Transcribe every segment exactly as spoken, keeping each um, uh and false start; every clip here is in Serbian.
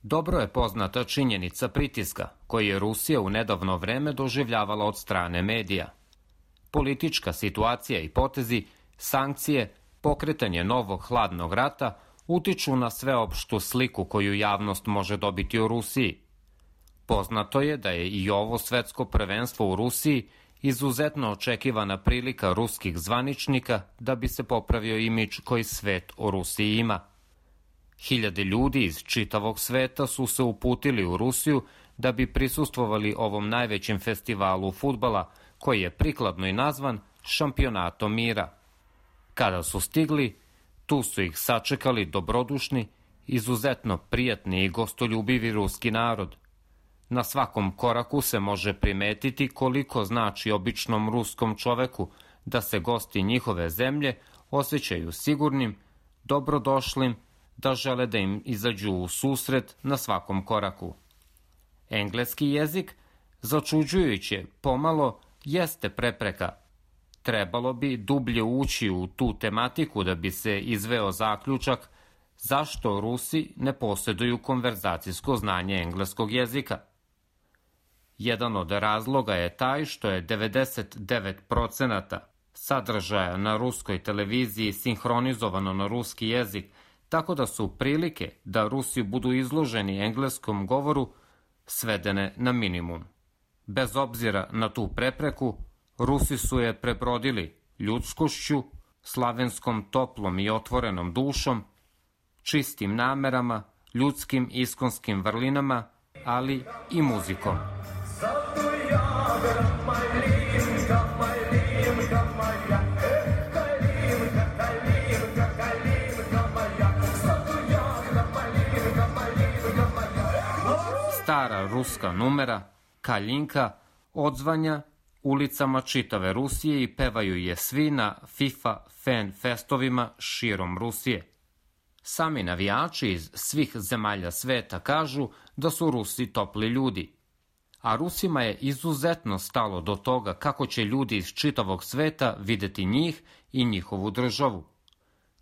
Dobro je poznata činjenica pritiska koji je Rusija u nedavno vreme doživljavala od strane medija. Politička situacija i potezi, sankcije, pokretanje novog hladnog rata utiču na sveopštu sliku koju javnost može dobiti o Rusiji. Poznato je da je i ovo svetsko prvenstvo u Rusiji izuzetno očekivana prilika ruskih zvaničnika da bi se popravio imidž koji svet o Rusiji ima. Hiljade ljudi iz čitavog sveta su se uputili u Rusiju da bi prisustvovali ovom najvećem festivalu fudbala, koji je prikladno i nazvan Šampionatom mira. Kada su stigli, tu su ih sačekali dobrodušni, izuzetno prijatni i gostoljubivi ruski narod. Na svakom koraku se može primetiti koliko znači običnom ruskom čoveku da se gosti njihove zemlje osjećaju sigurnim, dobrodošlim, da žele da im izađu u susret na svakom koraku. Engleski jezik, začuđujuće pomalo, jeste prepreka. Trebalo bi dublje ući u tu tematiku da bi se izveo zaključak zašto Rusi ne posjeduju konverzacijsko znanje engleskog jezika. Jedan od razloga je taj što je devedeset devet procenata sadržaja na ruskoj televiziji sinhronizovano na ruski jezik, tako da su prilike da Rusi budu izloženi engleskom govoru svedene na minimum. Bez obzira na tu prepreku, Rusi su je prebrodili ljudskošću, slavenskom toplom i otvorenom dušom, čistim namerama, ljudskim iskonskim vrlinama, ali i muzikom. Stara ruska numera, Kaljinka, odzvanja ulicama čitave Rusije i pevaju je svi na FIFA fan festovima širom Rusije. Sami navijači iz svih zemalja sveta kažu da su Rusi topli ljudi. A Rusima je izuzetno stalo do toga kako će ljudi iz čitavog sveta videti njih i njihovu državu.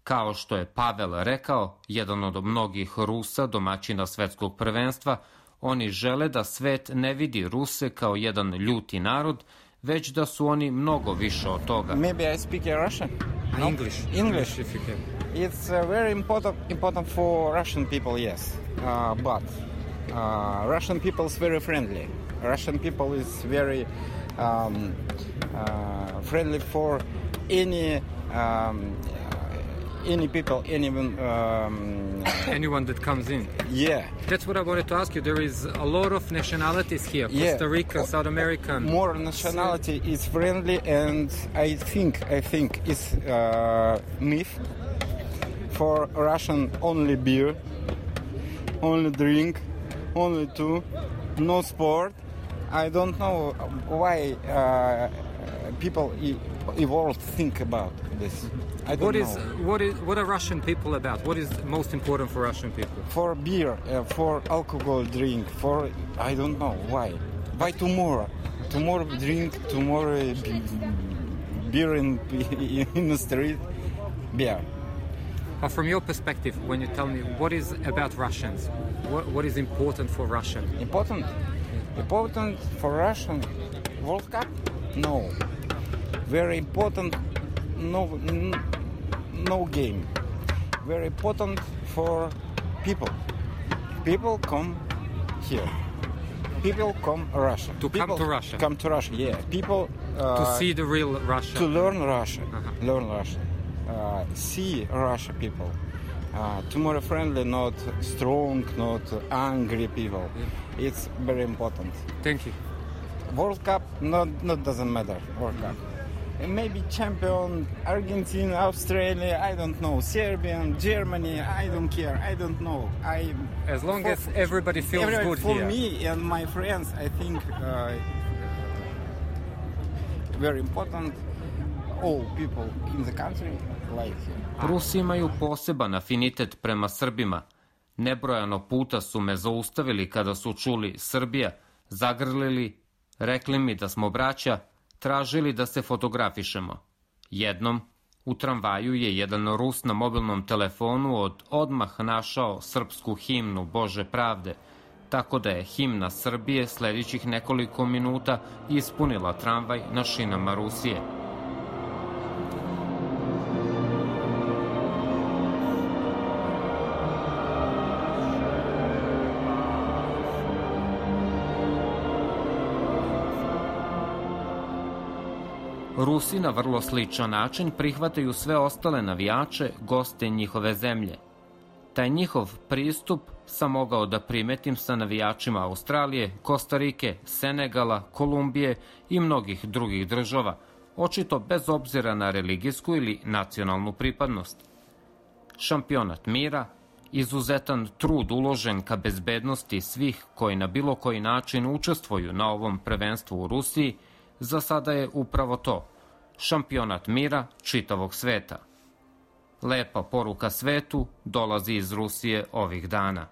Kao što je Pavel rekao, jedan od mnogih Rusa, domaćina svetskog prvenstva, oni žele da svet ne vidi Ruse kao jedan ljuti narod, već da su oni mnogo više od toga. Maybe I speak Russian? No? English. English. If you can. It's uh, very important important for Russian people, yes. Uh, but uh, Russian people is very friendly. Russian people is very um, uh, friendly for any um, any people, anyone. Um, Anyone that comes in. Yeah. That's what I wanted to ask you. There is a lot of nationalities here. Yeah. Costa Rica, South American. More nationality is friendly, and I think I think it's uh, myth. For Russian, only beer, only drink, only two, no sport. I don't know why uh, people evolved think about this. I don't what know. is what is what are Russian people about? What is most important for Russian people? For beer, uh, for alcohol drink, for I don't know why. Why tomorrow? Tomorrow drink, tomorrow beer in in the street, beer. But from your perspective, when you tell me what is about Russians, what what is important for Russian? Important, important for Russian World Cup? No. Very important. No, no game. Very important for people. People come here. People come Russia. To people come to Russia. Come to Russia. Yeah. People uh, To see the real Russia. To learn Russia. Uh-huh. Learn Russia. Uh, see Russia people. Uh, tomorrow friendly, not strong, not angry people. Yeah. It's very important. Thank you. World Cup, not not doesn't matter. World Cup. Maybe champion Argentina, Australia, I don't know, Serbian, Germany, I don't care, I don't know. I As long for, as everybody feels everybody, good for here. For me and my friends, I think uh, very important. All people in the country like here. Rusi imaju poseban afinitet prema Srbima. Nebrojano puta su me zaustavili kada su čuli Srbija, zagrlili, rekli mi da smo braća, tražili da se fotografišemo. Jednom, U tramvaju je jedan Rus na mobilnom telefonu od odmah našao srpsku himnu Bože pravde, tako da je himna Srbije sljedećih nekoliko minuta ispunila tramvaj na šinama Rusije. Rusi na vrlo sličan način prihvataju sve ostale navijače, goste njihove zemlje. Taj njihov pristup sam mogao da primetim sa navijačima Australije, Kostarike, Senegala, Kolumbije i mnogih drugih država, očito bez obzira na religijsku ili nacionalnu pripadnost. Šampionat mira, izuzetan trud uložen ka bezbednosti svih koji na bilo koji način učestvuju na ovom prvenstvu u Rusiji, za sada je upravo to, šampionat mira čitavog sveta. Lepa poruka svetu dolazi iz Rusije ovih dana.